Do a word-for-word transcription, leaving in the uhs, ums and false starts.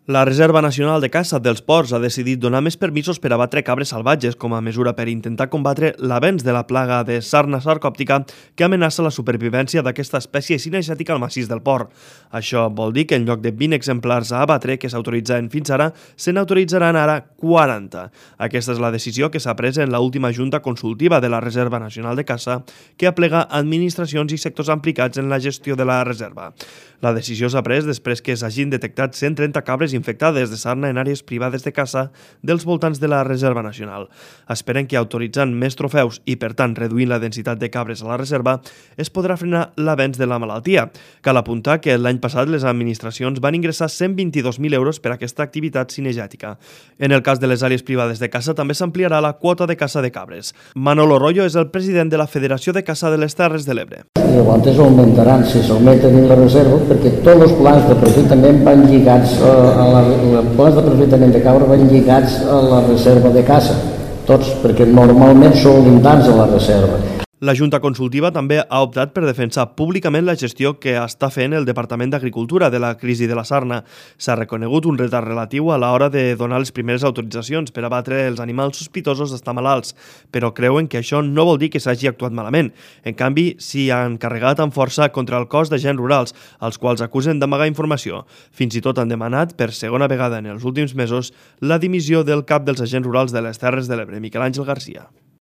La Reserva Nacional de Caça dels Ports ha decidit donar més permisos per abatre cabres salvatges com a mesura per intentar combatre l'avenç de la plaga de sarna sarcòptica que amenaça la supervivència d'aquesta espècie cinegètica al massís del port. Això vol dir que en lloc de vint exemplars a abatre que s'autoritzaven fins ara, se n'autoritzaran ara quaranta. Aquesta és la decisió que s'ha pres en l'última Junta Consultiva de la Reserva Nacional de Caça que aplega administracions i sectors implicats en la gestió de la reserva. La decisió s'ha pres després que s'hagin detectat cent trenta cabres infectades de sarna en àrees privades de caça dels voltants de la Reserva Nacional. Esperen que autoritzant més trofeus i, per tant, reduint la densitat de cabres a la reserva, es podrà frenar l'avenç de la malaltia. Cal apuntar que l'any passat les administracions van ingressar cent vint-i-dos mil euros per a aquesta activitat cinegètica. En el cas de les àrees privades de caça també s'ampliarà la quota de caça de cabres. Manolo Rollo és el president de la Federació de Caça de les Terres de l'Ebre. Llavors augmentaran si s'augmenten en la reserva perquè tots els plans d'aprofitament van lligats a la, els plans d'aprofitament de cabra van lligats a la reserva de caça, tots, perquè normalment són limitants a la reserva. La Junta Consultiva també ha optat per defensar públicament la gestió que està fent el Departament d'Agricultura de la crisi de la sarna. S'ha reconegut un retard relatiu a l'hora de donar les primeres autoritzacions per abatre els animals sospitosos d'estar malalts, però creuen que això no vol dir que s'hagi actuat malament. En canvi, s'hi han carregat amb força contra el cos d'agents rurals, els quals acusen d'amagar informació. Fins i tot han demanat, per segona vegada en els últims mesos, la dimissió del cap dels agents rurals de les Terres de l'Ebre, Miquel Àngel Garcia.